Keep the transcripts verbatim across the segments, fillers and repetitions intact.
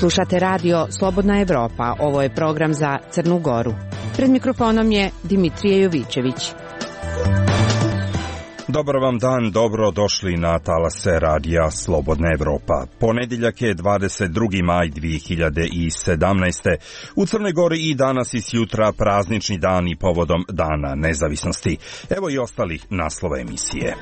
Slušate radio Slobodna Evropa, ovo je program za Crnu Goru. Pred mikrofonom je Dimitrije Jovićević. Dobar vam dan, dobro došli na talase radija Slobodna Evropa. Ponedjeljak je dvadeset drugi maj dvije hiljade sedamnaeste. U Crnoj Gori i danas i sjutra praznični dan i povodom Dana nezavisnosti. Evo i ostalih naslova emisije.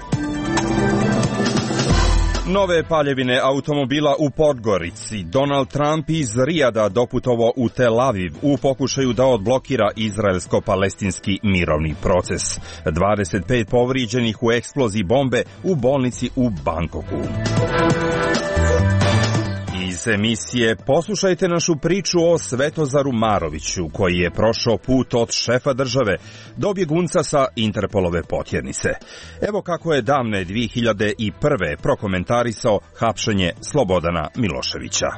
Nove paljevine automobila u Podgorici. Donald Trump iz Rijada doputovao u Tel Aviv u pokušaju da odblokira izraelsko-palestinski mirovni proces. dvadeset pet povrijeđenih u eksploziji bombe u bolnici u Bangkoku. Iz emisije poslušajte našu priču o Svetozaru Maroviću, koji je prošao put od šefa države do bjegunca sa Interpolove potjernice. Evo kako je davne dvije hiljade prve prokomentarisao hapšenje Slobodana Miloševića.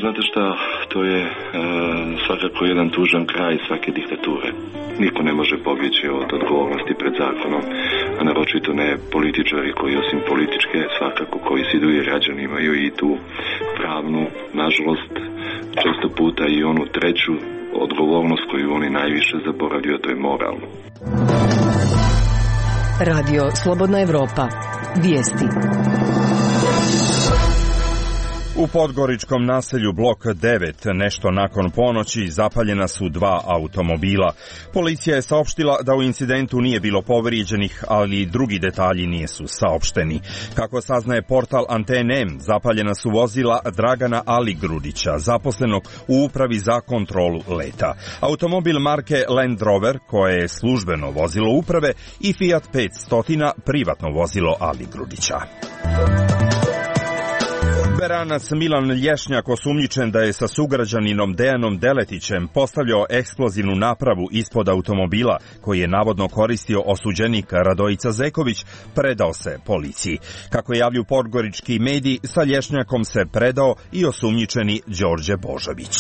Znate šta, to je e, svakako jedan tužan kraj svake diktature. Niko ne može pobjeći od odgovornosti pred zakonom, a naročito ne političari koji osim političke svakako koji se idu i građani imaju i tu pravnu, nažalost, često puta i onu treću odgovornost koju oni najviše zaboravljaju, to je moralno. Radio Slobodna Evropa. Vijesti. U podgoričkom naselju Blok devet nešto nakon ponoći zapaljena su dva automobila. Policija je saopštila da u incidentu nije bilo povrijeđenih, ali drugi detalji nisu saopšteni. Kako saznaje portal Antene, zapaljena su vozila Dragana Aligrudića, zaposlenog u upravi za kontrolu leta. Automobil marke Land Rover, koje je službeno vozilo uprave, i Fiat petsto, privatno vozilo Aligrudića. Beranac Milan Lješnjak, osumnjičen da je sa sugrađaninom Dejanom Deletićem postavljao eksplozivnu napravu ispod automobila koji je navodno koristio osuđenik Radojica Zeković, predao se policiji. Kako javlju podgorički mediji, sa Lješnjakom se predao i osumnjičeni Đorđe Božović.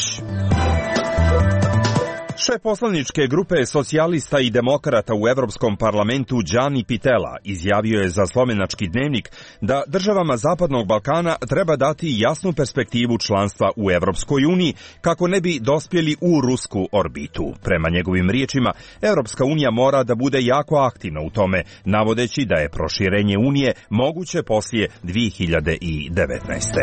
Šef poslaničke grupe socijalista i demokrata u Evropskom parlamentu Gianni Pittella izjavio je za Slovenački dnevnik da državama Zapadnog Balkana treba dati jasnu perspektivu članstva u Evropskoj uniji kako ne bi dospjeli u rusku orbitu. Prema njegovim riječima, Evropska unija mora da bude jako aktivna u tome, navodeći da je proširenje unije moguće poslije dvije hiljade devetnaeste.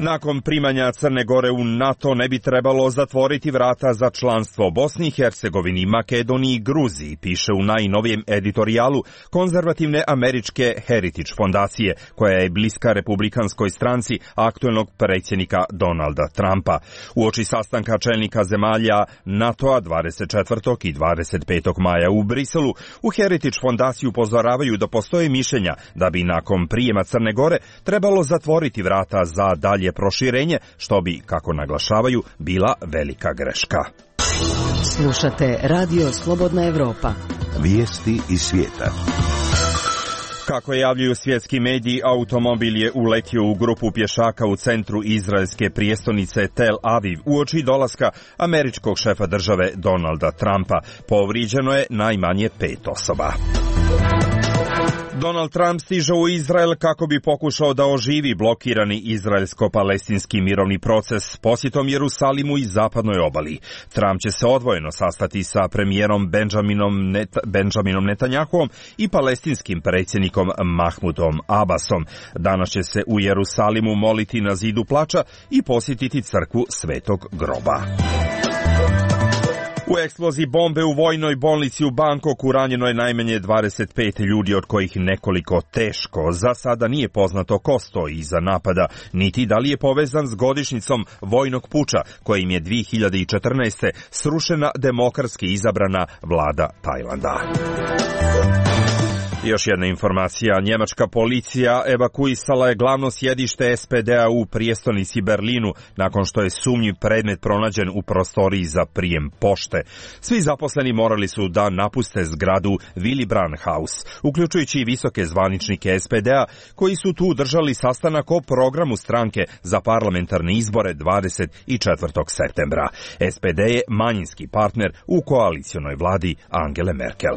Nakon primanja Crne Gore u NATO ne bi trebalo zatvoriti vrata za članstvo Bosni i Hercegovini, Makedoniji i Gruziji, piše u najnovijem editorijalu konzervativne američke Heritage fondacije, koja je bliska republikanskoj stranci aktuelnog predsjednika Donalda Trumpa. Uoči sastanka čelnika zemalja NATO-a dvadeset četvrtog i dvadeset petog maja u Briselu, u Heritage fondaciju upozoravaju da postoje mišljenja da bi nakon prijema Crne Gore trebalo zatvoriti vrata za dalje proširenje, što bi, kako naglašavaju, bila velika greška. Slušate Radio Slobodna Evropa. Vijesti iz svijeta. Kako javljaju svjetski mediji, automobil je uletio u grupu pješaka u centru izraelske prijestolnice Tel Aviv uoči dolaska američkog šefa države Donalda Trumpa. Povrijeđeno je najmanje pet osoba. Donald Trump stiže u Izrael kako bi pokušao da oživi blokirani izraelsko-palestinski mirovni proces posjetom Jerusalimu i zapadnoj obali. Trump će se odvojeno sastati sa premijerom Benjaminom, Net, Benjaminom Netanjahuom i palestinskim predsjednikom Mahmudom Abbasom. Danas će se u Jerusalimu moliti na zidu plača i posjetiti crkvu Svetog groba. U eksploziji bombe u vojnoj bolnici u Bangkoku ranjeno je najmanje dvadeset pet ljudi, od kojih nekoliko teško. Za sada nije poznato ko stoji iza napada, niti da li je povezan s godišnjicom vojnog puča, kojim je dvije hiljade četrnaeste. srušena demokratski izabrana vlada Tajlanda. Još jedna informacija. Njemačka policija evakuisala je glavno sjedište S P D-a u prijestolnici Berlinu nakon što je sumnjiv predmet pronađen u prostoriji za prijem pošte. Svi zaposleni morali su da napuste zgradu Willy Brandt House, uključujući i visoke zvaničnike S P D-a koji su tu držali sastanak o programu stranke za parlamentarne izbore dvadeset četvrtog septembra. S P D je manjinski partner u koalicionoj vladi Angele Merkel.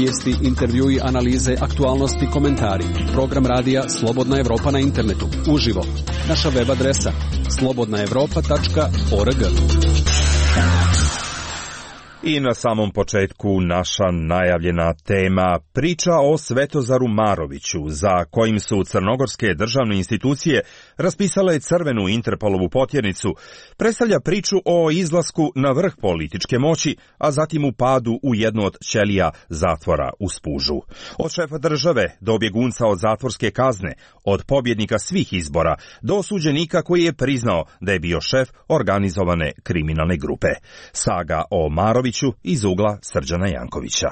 Vijesti, intervjui, analize, aktualnosti, komentari. Program radija Slobodna Evropa na internetu. Uživo. Naša web adresa slobodna evropa tačka org. I na samom početku naša najavljena tema, priča o Svetozaru Maroviću, za kojim su crnogorske državne institucije raspisale crvenu Interpolovu potjernicu, predstavlja priču o izlasku na vrh političke moći, a zatim u padu u jednu od ćelija zatvora u Spužu. Od šefa države do bjegunca od zatvorske kazne, od pobjednika svih izbora do osuđenika koji je priznao da je bio šef organizovane kriminalne grupe. Saga o Maroviću iz ugla Srđana Jankovića.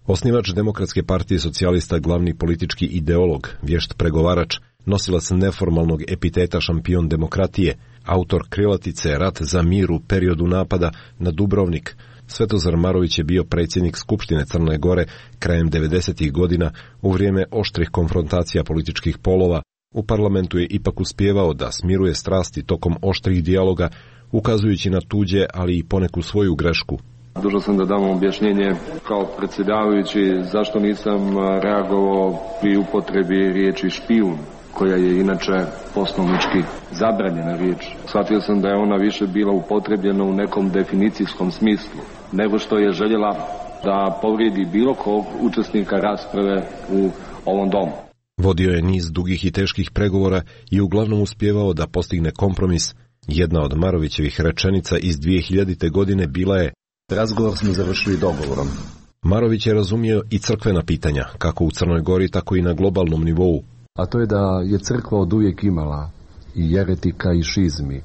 Osnivač Demokratske partije socijalista, glavni politički ideolog, vješt pregovarač, nosilac neformalnog epiteta šampion demokratije, autor krilatice Rat za mir u periodu napada na Dubrovnik, Svetozar Marović je bio predsjednik Skupštine Crne Gore krajem devedesetih godina u vrijeme oštrih konfrontacija političkih polova. U parlamentu je ipak uspijevao da smiruje strasti tokom oštrih dijaloga, ukazujući na tuđe, ali i poneku svoju grešku. Dužan sam da dam objašnjenje kao predsjedavajući zašto nisam reagovao pri upotrebi riječi špijun, koja je inače poslovnički zabranjena riječ. Shvatio sam da je ona više bila upotrebljena u nekom definicijskom smislu, nego što je željela da povrijedi bilo kog učesnika rasprave u ovom domu. Vodio je niz dugih i teških pregovora i uglavnom uspijevao da postigne kompromis. Jedna od Marovićevih rečenica iz dvije hiljadite. godine bila je: razgovor smo završili dogovorom. Marović je razumio i crkvena pitanja, kako u Crnoj Gori, tako i na globalnom nivou. A to je da je crkva od uvijek imala i jeretika i šizmi,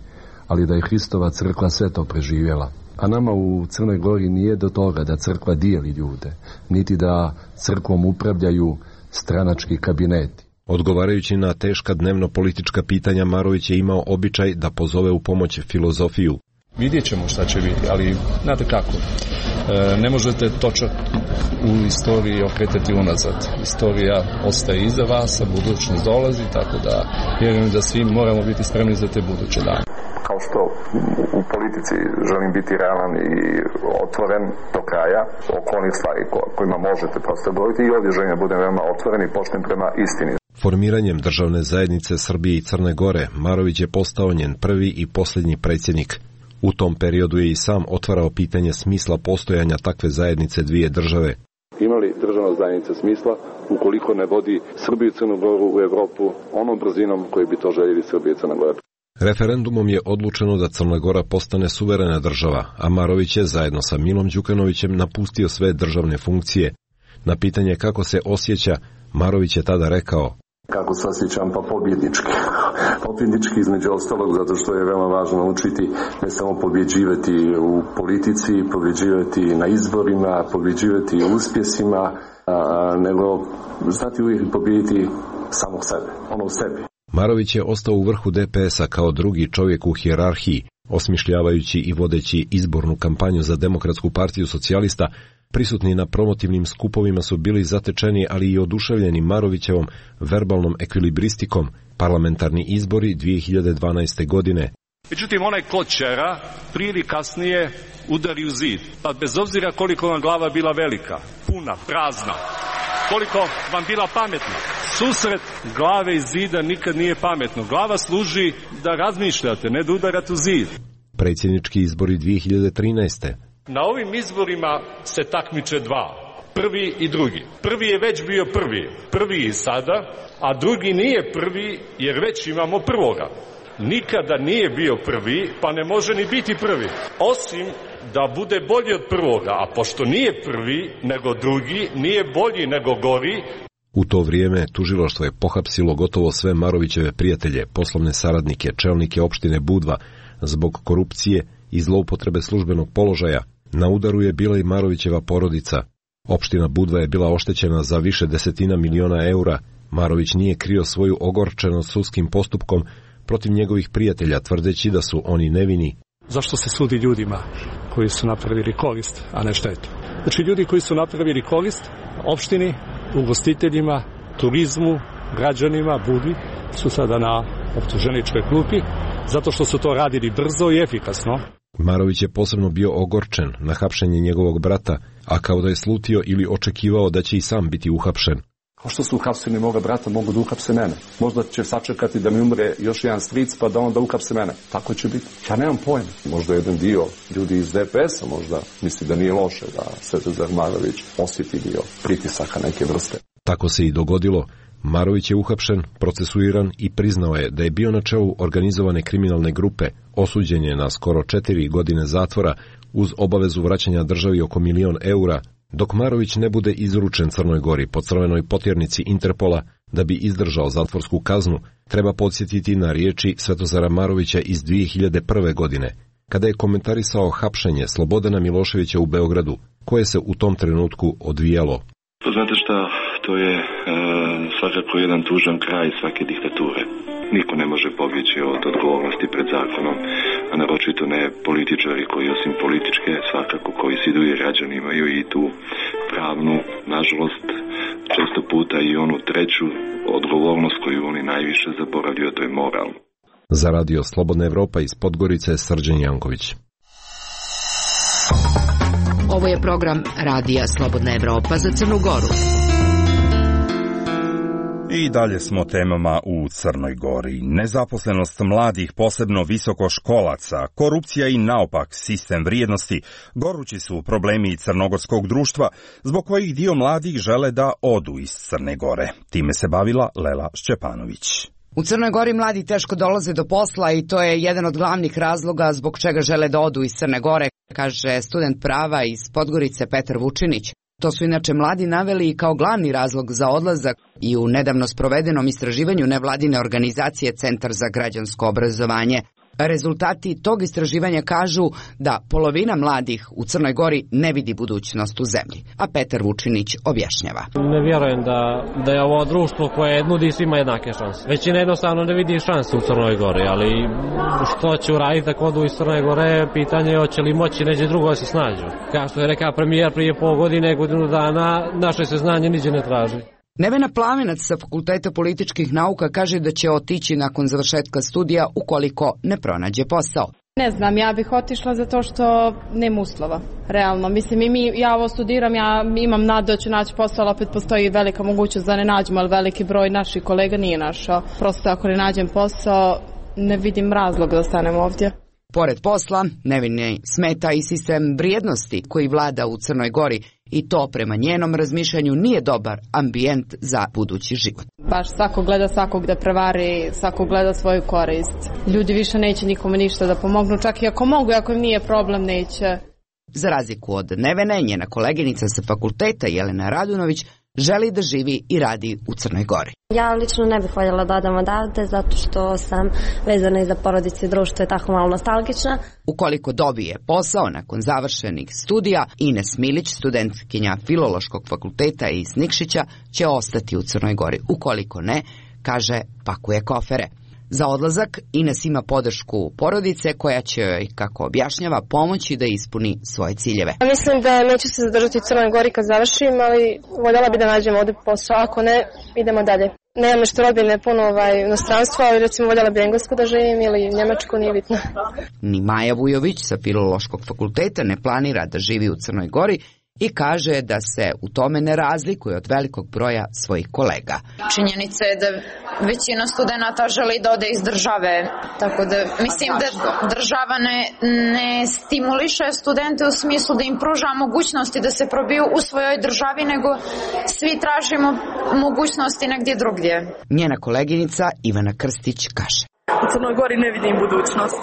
ali da je Hristova crkva sve to preživjela. A nama u Crnoj Gori nije do toga da crkva dijeli ljude, niti da crkvom upravljaju stranački kabineti. Odgovarajući na teška dnevno politička pitanja, Marović je imao običaj da pozove u pomoć filozofiju. Vidjet ćemo šta će biti, ali znate kako, e, ne možete točak u istoriji okretati unazad. Istorija ostaje iza vas, a budućnost dolazi, tako da vjerujem da svi moramo biti spremni za te buduće dane. Kao što u politici želim biti realan i otvoren do kraja oko onih stvari kojima možete prosto govoriti, i ovdje želim da budem veoma otvoren i pošten prema istini. Formiranjem državne zajednice Srbije i Crne Gore, Marović je postao njen prvi i posljednji predsjednik. U tom periodu je i sam otvarao pitanje smisla postojanja takve zajednice dvije države. Ima li državna zajednica smisla ukoliko ne vodi Srbiju i Crnu Goru u Evropu onom brzinom koji bi to željeli Srbija i Crna Gora? Referendumom je odlučeno da Crna Gora postane suverena država, a Marović je zajedno sa Milom Đukanovićem napustio sve državne funkcije. Na pitanje kako se osjeća, Marović je tada rekao: kako se osjećam? Pa pobjednički. Pobjednički između ostalog zato što je veoma važno učiti ne samo pobjeđivati u politici, pobjeđivati na izborima, pobjeđivati u uspjesima, a, nego znati uvijek pobjediti samog sebe, ono u sebi. Marović je ostao u vrhu D P S-a kao drugi čovjek u hijerarhiji, osmišljavajući i vodeći izbornu kampanju za Demokratsku partiju socijalista. Prisutni na promotivnim skupovima su bili zatečeni, ali i oduševljeni Marovićevom verbalnom ekvilibristikom. Parlamentarni izbori dvije hiljade dvanaeste. godine. Međutim, onaj kočera prije ili kasnije udari u zid. Pa bez obzira koliko vam glava bila velika, puna, prazna, koliko vam bila pametna, susret glave i zida nikad nije pametno. Glava služi da razmišljate, ne da udarate u zid. Predsjednički izbori dvije hiljade trinaeste. Na ovim izborima se takmiče dva, prvi i drugi. Prvi je već bio prvi, prvi i sada, a drugi nije prvi jer već imamo prvoga. Nikada nije bio prvi, pa ne može ni biti prvi, osim da bude bolji od prvoga, a pošto nije prvi nego drugi, nije bolji nego gori. U to vrijeme tužilaštvo je pohapsilo gotovo sve Marovićeve prijatelje, poslovne saradnike, čelnike opštine Budva, zbog korupcije i zloupotrebe službenog položaja. Na udaru je bila i Marovićeva porodica. Opština Budva je bila oštećena za više desetina miliona eura. Marović nije krio svoju ogorčenost sudskim postupkom protiv njegovih prijatelja, tvrdeći da su oni nevini. Zašto se sudi ljudima koji su napravili korist, a ne štetu? Znači ljudi koji su napravili korist opštini, ugostiteljima, turizmu, građanima, Budvi, su sada na optuženičkoj klupi zato što su to radili brzo i efikasno. Marović je posebno bio ogorčen na hapšenje njegovog brata, a kao da je slutio ili očekivao da će i sam biti uhapšen. Kao što su uhapsili moga brata, mogu da uhapse mene. Možda će sačekati da mi umre još jedan stric, pa da onda uhapse mene. Tako će biti. Ja nemam pojma. Možda jedan dio ljudi iz D P S-a možda misli da nije loše da Svetozar Marović osjeti dio pritisaka neke vrste. Tako se i dogodilo. Marović je uhapšen, procesuiran i priznao je da je bio na čelu organizovane kriminalne grupe, osuđen je na skoro četiri godine zatvora uz obavezu vraćanja državi oko milion eura, dok Marović ne bude izručen Crnoj Gori po crvenoj potjernici Interpola da bi izdržao zatvorsku kaznu. Treba podsjetiti na riječi Svetozara Marovića iz dvije hiljade prve. godine, kada je komentarisao hapšenje Slobodana Miloševića u Beogradu, koje se u tom trenutku odvijalo. Pa znate šta, to je e, svakako jedan tužan kraj svake diktature. Niko ne može pobjeći od odgovornosti pred zakonom, a naročito ne političari koji osim političke, svakako koji se idu i građani imaju i tu pravnu, nažalost, često puta i onu treću odgovornost koju oni najviše zaboravljaju, to je moralno. Za radio Slobodna Evropa iz Podgorice, Srđan Janković. Ovo je program Radija Slobodna Evropa za Crnu Goru. I dalje smo temama u Crnoj Gori. Nezaposlenost mladih, posebno visokoškolaca, korupcija i naopak sistem vrijednosti gorući su problemi crnogorskog društva, zbog kojih dio mladih žele da odu iz Crne Gore. Time se bavila Lela Šćepanović. U Crnoj Gori mladi teško dolaze do posla i to je jedan od glavnih razloga zbog čega žele da odu iz Crne Gore, kaže student prava iz Podgorice Petar Vučinić. To su inače mladi naveli kao glavni razlog za odlazak i u nedavno sprovedenom istraživanju nevladine organizacije Centar za građansko obrazovanje. Rezultati tog istraživanja kažu da polovina mladih u Crnoj Gori ne vidi budućnost u zemlji, a Petar Vučinić objašnjava. Ne vjerujem da, da je ovo društvo koje nudi svima jednake šanse. Većina jednostavno ne vidi šanse u Crnoj Gori, ali što će uraditi ako odu iz Crne Gore, pitanje je hoće li moći neđe drugo da se snađu. Kao što je rekao premijer prije pol godine, godinu dana, naše se znanje niđe ne traži. Nevena Plavenac sa Fakulteta političkih nauka kaže da će otići nakon završetka studija ukoliko ne pronađe posao. Ne znam, ja bih otišla zato što nema uslova, realno. Mislim, i mi, ja ovo studiram, ja imam nadu da ću naći posao, ali opet postoji velika mogućnost da ne nađemo, ali veliki broj naših kolega nije našao. Prosto ako ne nađem posao, ne vidim razlog da ostanem ovdje. Pored posla, Nevini smeta i sistem vrijednosti koji vlada u Crnoj Gori i to prema njenom razmišljanju nije dobar ambijent za budući život. Baš svako gleda svakog da prevari, svako gleda svoju korist. Ljudi više neće nikome ništa da pomognu, čak i ako mogu, ako im nije problem, neće. Za razliku od Nevene, njena koleginica sa fakulteta Jelena Radunović želi da živi i radi u Crnoj Gori. Ja lično ne bih voljela da odam odavde zato što sam vezana i za porodicu i društvo je tako malo nostalgična. Ukoliko dobije posao nakon završenih studija, Ines Milić, studentkinja Filološkog fakulteta iz Nikšića, će ostati u Crnoj Gori. Ukoliko ne, kaže, pakuje kofere. Za odlazak Ines ima podršku porodice koja će joj, kako objašnjava, pomoći da ispuni svoje ciljeve. Mislim da neću se zadržati u Crnoj Gori kad završim, ali voljela bi da nađem ovdje posao, ako ne, idemo dalje. Nemam nešto rodbine puno ovaj, inostranstva, ali recimo voljela bi Englesku da živim ili Njemačku, nije bitno. Ni Maja Vujović sa Filološkog fakulteta ne planira da živi u Crnoj Gori i kaže da se u tome ne razlikuje od velikog broja svojih kolega. Činjenica je da većina studenata želi da ode iz države, tako da mislim da država ne, ne stimuliše studente u smislu da im pruža mogućnosti da se probiju u svojoj državi, nego svi tražimo mogućnosti negdje drugdje. Njena koleginica Ivana Krstić kaže. U Crnoj Gori ne vidim budućnost,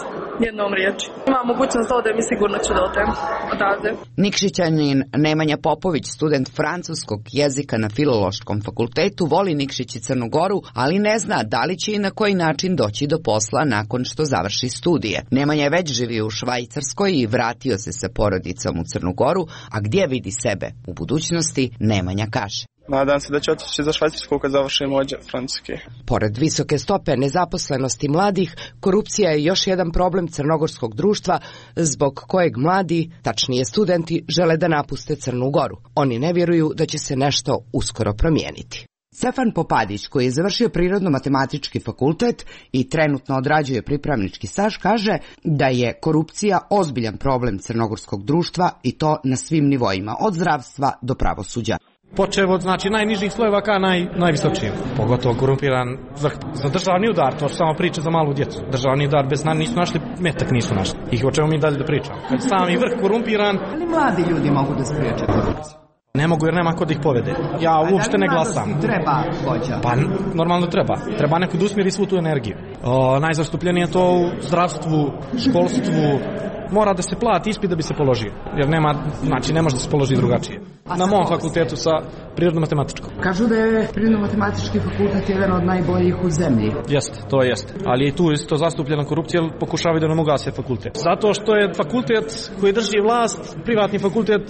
jednom riječi. Ima mogućnost da odem i sigurno ću da odem odavde. Nikšićanin Nemanja Popović, student francuskog jezika na Filološkom fakultetu, voli Nikšić i Crnu Goru, ali ne zna da li će i na koji način doći do posla nakon što završi studije. Nemanja je već živio u Švajcarskoj i vratio se sa porodicom u Crnu Goru, a gdje vidi sebe u budućnosti, Nemanja kaže. Nadam se da će otići za Švajcarsku kad završim ovdje francuski. Pored visoke stope nezaposlenosti mladih, korupcija je još jedan problem crnogorskog društva zbog kojeg mladi, tačnije studenti, žele da napuste Crnu Goru. Oni ne vjeruju da će se nešto uskoro promijeniti. Stefan Popadić, koji je završio Prirodno-matematički fakultet i trenutno odrađuje pripravnički staž, kaže da je korupcija ozbiljan problem crnogorskog društva i to na svim nivoima, od zdravstva do pravosuđa. Počev od znači, najnižih slojeva ka naj, najvisočijeg. Pogotovo korumpiran za, za državni udar, to su samo priče za malu djecu. Državni udar bez nas nisu našli, metak nisu našli. Ih o čemu mi dalje da pričamo. Kad sami vrh korumpiran... Ali mladi ljudi mogu da spriječe korupciju? Ne mogu jer nema ko da ih povede. Ja uopšte ne glasam. Treba vođa. Pa normalno treba. Treba neko da usmjeri svu tu energiju. O, najzastupljenije je to u zdravstvu, školstvu. Mora da se plati ispit da bi se položio. Jer nema, znači ne može da se položi drugačije. Na mom fakultetu sa prirodno-matematičkom. Kažu da je prirodno-matematički fakultet jedan od najboljih u zemlji. Jeste, to jeste. Ali i tu je to zastupljena korupcija, jer pokušavaju da nam ugase fakultet. Zato što je fakultet koji drži vlast, privatni fakultet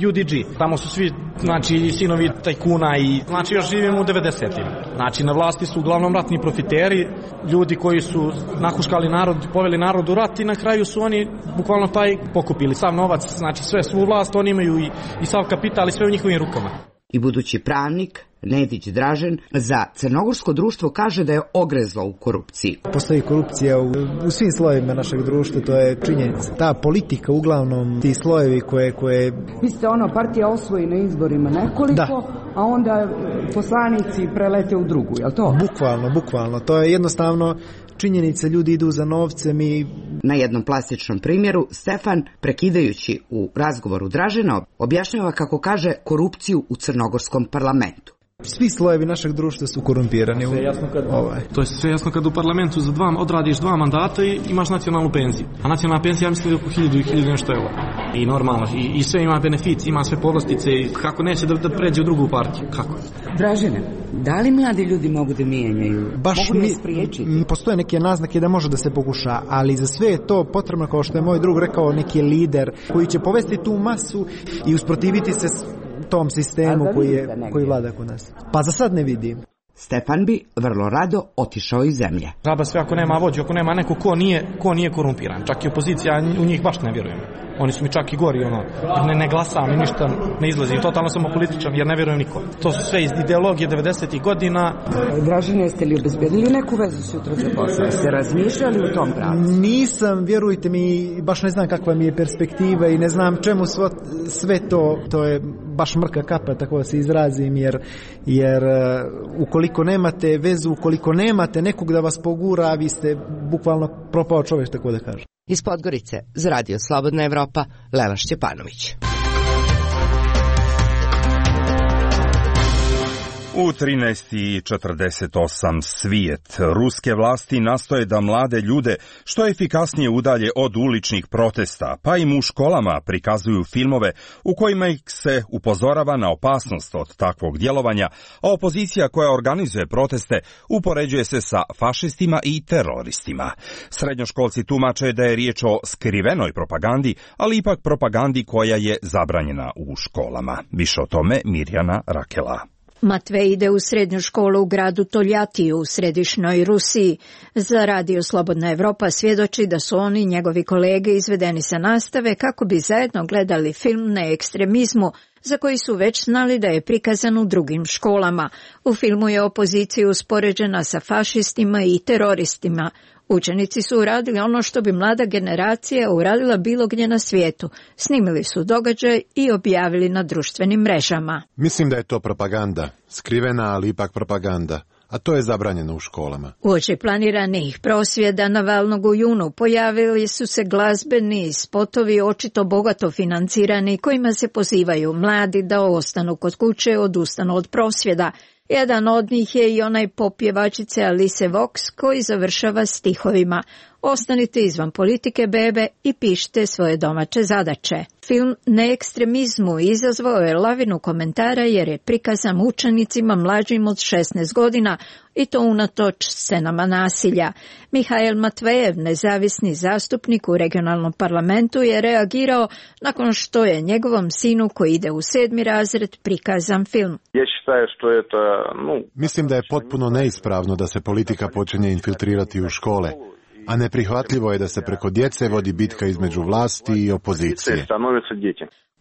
U D G. Tamo su svi, znači, sinovi tajkuna i, znači, još živimo u devedesetim. Znači, na vlasti su uglavnom ratni profiteri, ljudi koji su nahuškali narod, poveli narod u rat i na kraju su oni bukvalno taj pokupili sav novac, znači sve svu vlast, oni imaju i, i sav kapital i sve u njihovim rukama. I budući pravnik Nedić Dražen za crnogorsko društvo kaže da je ogrezlo u korupciji. Postoji korupcija u, u svim slojevima našeg društva, to je činjenica. Ta politika, uglavnom ti slojevi koje... koje... Mislite, ono, partija osvoji na izborima nekoliko, da. A onda poslanici prelete u drugu, je li to? Bukvalno, bukvalno. To je jednostavno činjenica, ljudi idu za novcem i... Na jednom plastičnom primjeru Stefan, prekidajući u razgovoru Dražena, objašnjava kako kaže korupciju u crnogorskom parlamentu. Svi slojevi našeg društva su korumpirani. Sve jasno kad, ovaj. To je sve jasno kad u parlamentu za dva, odradiš dva mandata i imaš nacionalnu penziju. A nacionalna penzija, ja mislim, je oko hiljadu i hiljadu nešto eura. I normalno, i, i sve ima benefici, ima sve povlastice i kako neće da, da pređe u drugu partiju. Kako? Dražene, da li mladi ljudi mogu da mijenjaju? Baš mogu li spriječiti? Postoje neke naznake da može da se pokuša, ali za sve je to potrebno, kao što je moj drug rekao, neki lider koji će povesti tu masu i usprotiviti se tom sistemu koji, je, koji vlada kod nas. Pa za sad ne vidim. Stefan bi vrlo rado otišao iz zemlje. Žaba sve ako nema vođu, ako nema neko ko nije, ko nije korumpiran. Čak i opozicija, u njih baš ne vjerujem. Oni su mi čak i gori, ono, ne, ne glasam i ništa ne izlazim. Totalno sam političan jer ne vjerujem niko. To su sve iz ideologije devedesetih godina. Dražene, jeste li obezbedili neku vezu sutra za posao? Jeste razmišljali u tom pravcu? Nisam, vjerujte mi, baš ne znam kakva mi je perspektiva i ne znam čemu svo, sve to, to je baš mrka kapa, tako da se izrazim, jer, jer ukoliko nemate vezu, ukoliko nemate nekog da vas pogura, vi ste bukvalno propao čovjek, tako da kažem. Iz Podgorice, za Radio Slobodna Evropa, Lela Šćepanović. U trinaest i četrdeset osam svijet. Ruske vlasti nastoje da mlade ljude što efikasnije udalje od uličnih protesta, pa im u školama prikazuju filmove u kojima ih se upozorava na opasnost od takvog djelovanja, a opozicija koja organizuje proteste upoređuje se sa fašistima i teroristima. Srednjoškolci tumače da je riječ o skrivenoj propagandi, ali ipak propagandi koja je zabranjena u školama. Više o tome Mirjana Rakela. Matvej ide u srednju školu u gradu Toljatiju u središnjoj Rusiji. Za Radio Slobodna Evropa svjedoči da su oni i njegovi kolege izvedeni sa nastave kako bi zajedno gledali film na ekstremizmu, za koji su već znali da je prikazan u drugim školama. U filmu je opozicija uspoređena sa fašistima i teroristima. Učenici su uradili ono što bi mlada generacija uradila bilo gdje na svijetu. Snimili su događaj i objavili na društvenim mrežama. Mislim da je to propaganda. Skrivena, ali ipak propaganda. A to je zabranjeno u školama. Uoči planiranih prosvjeda Navalnog u junu pojavili su se glazbeni spotovi očito bogato financirani kojima se pozivaju mladi da ostanu kod kuće, odustanu od prosvjeda. Jedan od njih je i onaj pop pjevačice Alice Vox koji završava stihovima: ostanite izvan politike, bebe, i pišite svoje domaće zadaće. Film Na ekstremizmu izazvao je lavinu komentara jer je prikazan učenicima mlađim od šesnaest godina i to unatoč scenama nasilja. Mihail Matvejev, nezavisni zastupnik u regionalnom parlamentu, je reagirao nakon što je njegovom sinu koji ide u sedmi razred prikazan film. Mislim da je potpuno neispravno da se politika počinje infiltrirati u škole. A neprihvatljivo je da se preko djece vodi bitka između vlasti i opozicije.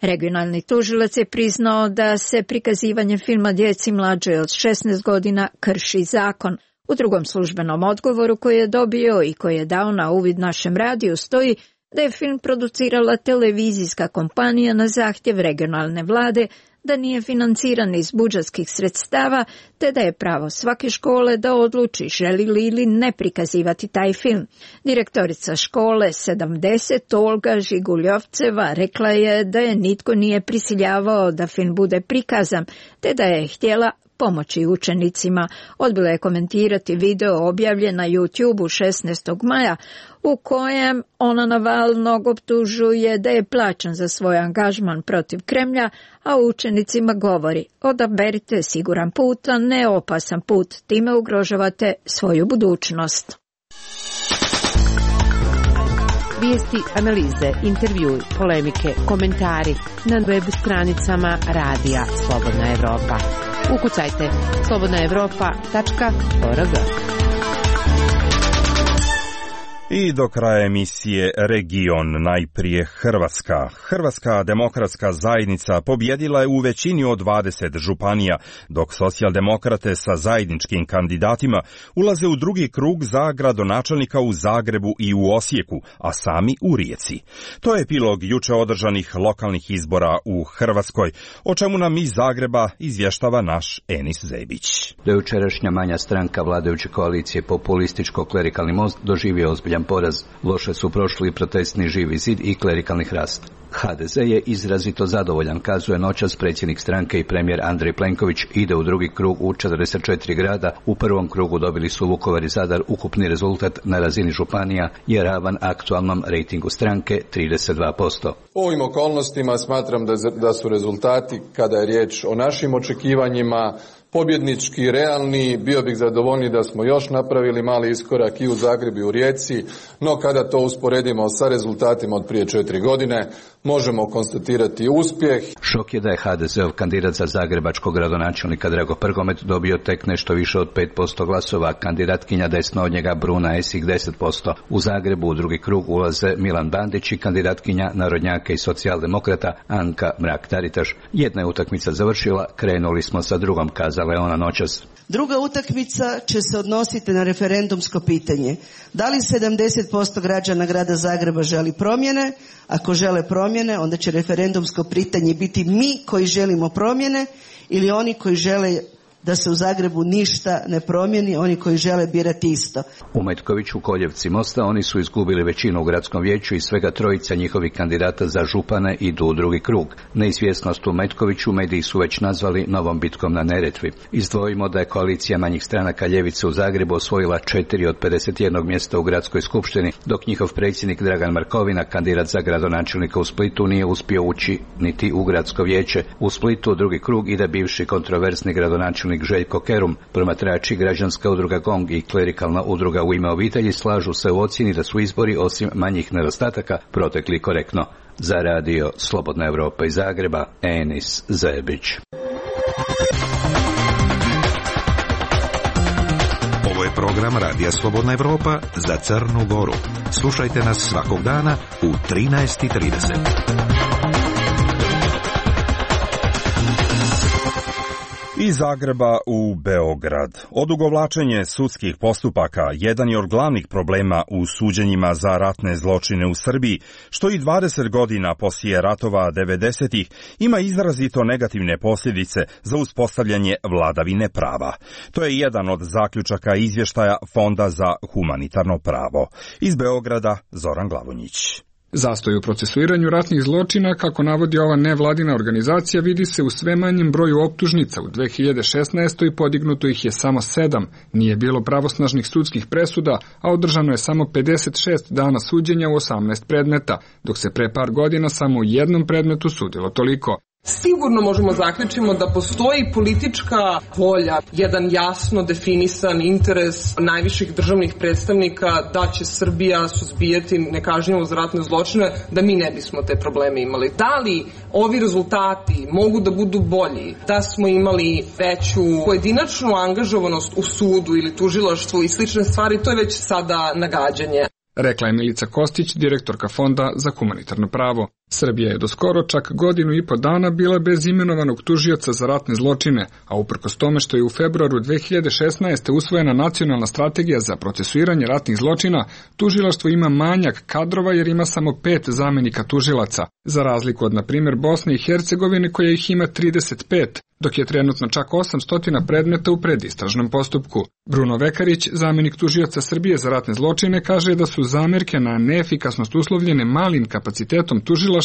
Regionalni tužilac je priznao da se prikazivanje filma djeci mlađe od šesnaest godina krši zakon. U drugom službenom odgovoru koji je dobio i koji je dao na uvid našem radiju stoji da je film producirala televizijska kompanija na zahtjev regionalne vlade, da nije financiran iz budžetskih sredstava, te da je pravo svake škole da odluči želi li ili ne prikazivati taj film. Direktorica škole sedamdeset, Olga Žiguljovceva, rekla je da je nitko nije prisiljavao da film bude prikazan, te da je htjela pomoći učenicima. Odbila je komentirati video objavljen na YouTube šesnaestog maja u kojem ona Navalnog optužuje da je plaćen za svoj angažman protiv Kremlja, a učenicima govori: odaberite siguran put, a ne opasan put, time ugrožavate svoju budućnost. Vijesti, analize, intervjui, polemike, komentari na web stranicama Radija Slobodna Evropa. Ukucajte slobodna evropa tačka org. I do kraja emisije Region, najprije Hrvatska. Hrvatska demokratska zajednica pobjedila je u većini od dvadeset županija, dok socijaldemokrate sa zajedničkim kandidatima ulaze u drugi krug za gradonačelnika u Zagrebu i u Osijeku, a sami u Rijeci. To je epilog juče održanih lokalnih izbora u Hrvatskoj, o čemu nam iz Zagreba izvještava naš Enis Zebić. Dojučerašnja manja stranka vladajuće koalicije Populističko-klerikalni most doživio ozbiljan poraz. Loše su prošli protestni Živi zid i klerikalni Hrast. ha de ze je izrazito zadovoljan, kazuje noćas predsjednik stranke i premijer Andrej Plenković, ide u drugi krug u četrdeset četiri grada. U prvom krugu dobili su Vukovar i Zadar. Ukupni rezultat na razini županija je ravan aktualnom rejtingu stranke trideset dva posto. U ovim okolnostima smatram da, da su rezultati, kada je riječ o našim očekivanjima, pobjednički, realni. Bio bih zadovoljniji da smo još napravili mali iskorak i u Zagrebu i u Rijeci, no kada to usporedimo sa rezultatima od prije četiri godine, možemo konstatirati uspjeh. Šok je da je ha de zeov kandidat za zagrebačkog gradonačelnika Drago Prgomet dobio tek nešto više od pet posto glasova, kandidatkinja desno od njega Bruna Esih deset posto. U Zagrebu u drugi krug ulaze Milan Bandić i kandidatkinja narodnjaka i socijaldemokrata Anka Mrak-Taritaš. Jedna je utakmica završila, krenuli smo sa drugom, kazala je ona noćas. Druga utakmica će se odnositi na referendumsko pitanje. Da li sedamdeset posto građana grada Zagreba želi promjene? Ako žele promjene, onda će referendumsko pitanje biti mi koji želimo promjene ili oni koji žele da se u Zagrebu ništa ne promijeni, oni koji žele birati isto. U Metkoviću, Koljevci, Mosta oni su izgubili većinu u gradskom vijeću i svega trojica njihovih kandidata za župane idu u drugi krug. Neizvjesnost u Metkoviću mediji su već nazvali novom bitkom na Neretvi. Izdvojimo da je koalicija manjih stranaka ljevice u Zagrebu osvojila četiri od pedeset jednog mjesta u gradskoj skupštini, dok njihov predsjednik Dragan Markovina, kandidat za gradonačelnika u Splitu, nije uspio ući niti u gradsko vijeće. U Splitu u drugi krug ide bivši kontroversni gradonačelnik Željko Kerum. Promatrači, građanska udruga GONG i klerikalna udruga U ime obitelji slažu se u ocjeni da su izbori, osim manjih nedostataka, protekli korektno. Za radio Slobodna Evropa iz Zagreba, Enis Zebić. Ovo je program Radija Slobodna Evropa za Crnu Goru. Slušajte nas svakog dana u trinaest i trideset. Iz Zagreba u Beograd. Odugovlačenje sudskih postupaka jedan je od glavnih problema u suđenjima za ratne zločine u Srbiji, što i dvadeset godina poslije ratova devedesetih ima izrazito negativne posljedice za uspostavljanje vladavine prava. To je jedan od zaključaka izvještaja Fonda za humanitarno pravo. Iz Beograda Zoran Glavonjić. Zastoj u procesuiranju ratnih zločina, kako navodi ova nevladina organizacija, vidi se u sve manjem broju optužnica. U dve hiljade šesnaestoj podignuto ih je samo sedam, nije bilo pravosnažnih sudskih presuda, a održano je samo pedeset šest dana suđenja u osamnaest predmeta, dok se pre par godina samo u jednom predmetu sudilo toliko. Sigurno možemo zaključiti da postoji politička volja, jedan jasno definisan interes najviših državnih predstavnika da će Srbija suzbijati nekažnjivost za ratne zločine, da mi ne bismo te probleme imali. Da li ovi rezultati mogu da budu bolji, da smo imali veću pojedinačnu angažovanost u sudu ili tužilaštvu i slične stvari, to je već sada nagađanje. Rekla je Milica Kostić, direktorka Fonda za humanitarno pravo. Srbija je do skoro čak godinu i po dana bila bez imenovanog tužioca za ratne zločine, a uprkos tome što je u februaru dve hiljade šesnaeste. usvojena nacionalna strategija za procesuiranje ratnih zločina, tužilaštvo ima manjak kadrova jer ima samo pet zamenika tužilaca, za razliku od, na primjer, Bosne i Hercegovine koja ih ima trideset pet, dok je trenutno čak osamsto predmeta u predistražnom postupku. Bruno Vekarić, zamenik tužioca Srbije za ratne zločine, kaže da su zamerke na neefikasnost uslovljene malim kapacitetom tužilaštva,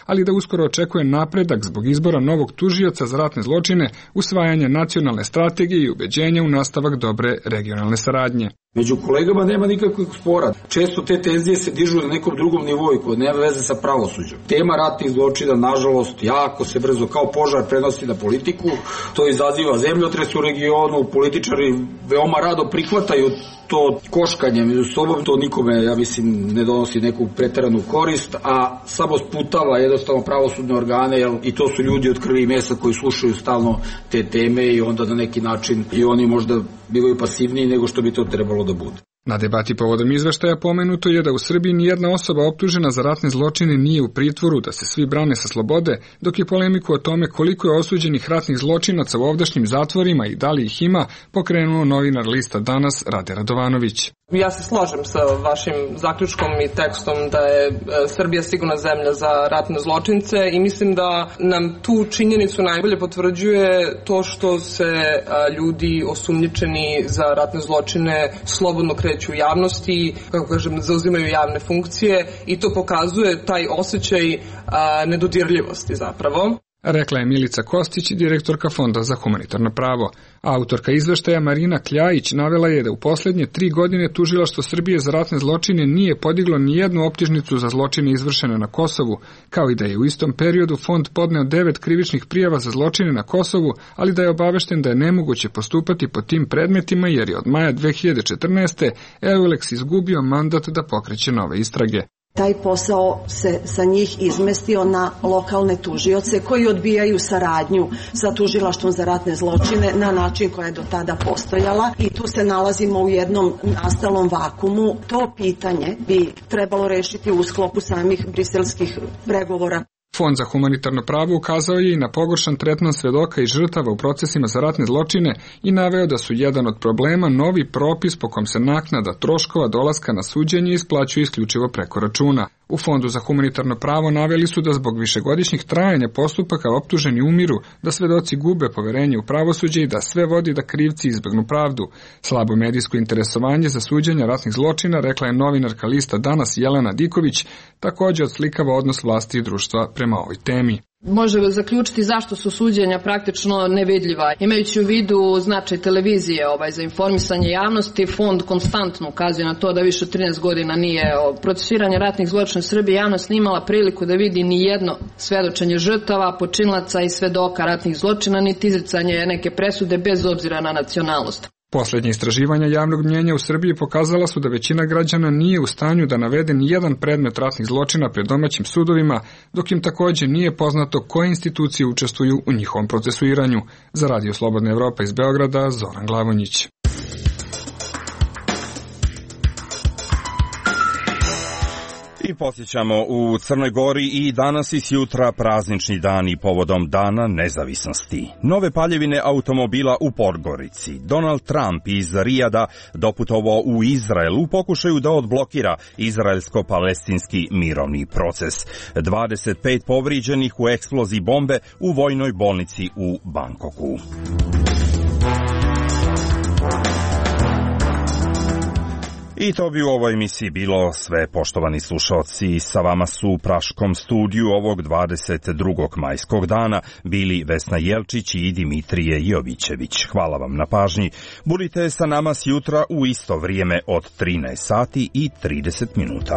ali da uskoro očekuje napredak zbog izbora novog tužioca za ratne zločine, usvajanje nacionalne strategije i ubeđenja u nastavak dobre regionalne saradnje. Među kolegama nema nikakvih spora. Često te tenzije se dižu na nekom drugom nivou koji nema veze sa pravosuđem. Tema ratnih zločina, nažalost, jako se brzo kao požar prenosi na politiku. To izaziva zemljotres u regionu, političari veoma rado prihvataju to koškanje među sobom, to nikome, ja mislim, ne donosi neku preteranu korist, a samo sputava jednostavno pravosudne organe, jel, i to su ljudi od krvi i mesa koji slušaju stalno te teme i onda na neki način i oni možda bivaju pasivniji nego što bi to trebalo da bude. Na debati povodom izveštaja pomenuto je da u Srbiji nijedna osoba optužena za ratne zločine nije u pritvoru, da se svi brane sa slobode, dok je polemiku o tome koliko je osuđenih ratnih zločinaca u ovdašnjim zatvorima i da li ih ima pokrenuo novinar lista Danas Rade Radovanović. Ja se slažem sa vašim zaključkom i tekstom da je Srbija sigurna zemlja za ratne zločince i mislim da nam tu činjenicu najbolje potvrđuje to što se ljudi osumnjičeni za ratne zločine slobodno kreću u javnosti, kako kažem, zauzimaju javne funkcije i to pokazuje taj osjećaj nedodirljivosti zapravo. Rekla je Milica Kostić, direktorka Fonda za humanitarno pravo. Autorka izveštaja Marina Kljajić navela je da u posljednje tri godine tužilaštvo Srbije za ratne zločine nije podiglo ni jednu optužnicu za zločine izvršene na Kosovu, kao i da je u istom periodu fond podneo devet krivičnih prijava za zločine na Kosovu, ali da je obavešten da je nemoguće postupati po tim predmetima jer je od maja dve hiljade četrnaeste. Eulex izgubio mandat da pokreće nove istrage. Taj posao se sa njih izmestio na lokalne tužioce koji odbijaju saradnju sa tužilaštvom za ratne zločine na način koja je do tada postojala i tu se nalazimo u jednom nastalom vakumu. To pitanje bi trebalo rešiti u sklopu samih briselskih pregovora. Fond za humanitarno pravo ukazao je i na pogoršan tretman svedoka i žrtava u procesima za ratne zločine i naveo da su jedan od problema novi propis po kom se naknada troškova dolaska na suđenje isplaćuje isključivo preko računa. U Fondu za humanitarno pravo naveli su da zbog višegodišnjih trajanja postupaka optuženi umiru, da svedoci gube poverenje u pravosuđe i da sve vodi da krivci izbegnu pravdu. Slabo medijsko interesovanje za suđenje ratnih zločina, rekla je novinarka lista Danas Jelena Diković, također odslikava odnos vlasti i društva prema ovoj temi. Može zaključiti zašto su suđenja praktično nevidljiva. Imajući u vidu značaj televizije ovaj, za informisanje javnosti, fond konstantno ukazuje na to da više od trinaest godina nije procesuiranje ratnih zločina u Srbiji. Javnost nije imala priliku da vidi ni jedno svedočenje žrtava, počinilaca i svedoka ratnih zločina, niti izricanje neke presude bez obzira na nacionalnost. Posljednje istraživanja javnog mnjenja u Srbiji pokazala su da većina građana nije u stanju da navede ni jedan predmet ratnih zločina pred domaćim sudovima, dok im također nije poznato koje institucije učestvuju u njihovom procesuiranju. Za Radio Slobodna Evropa iz Beograda, Zoran Glavonjić. I posjećamo u Crnoj Gori i danas i sjutra praznični dani povodom Dana nezavisnosti. Nove paljevine automobila u Podgorici. Donald Trump iz Rijada doputovao u Izrael u pokušaju da odblokira izraelsko-palestinski mirovni proces. dvadeset pet povrijeđenih u eksploziji bombe u vojnoj bolnici u Bankoku. I to bi u ovoj emisiji bilo sve, poštovani slušalci. Sa vama su u Praškom studiju ovog dvadeset drugog majskog dana bili Vesna Jelčić i Dimitrije Jovićević. Hvala vam na pažnji. Budite sa nama sjutra u isto vrijeme od trinaest sati i trideset minuta.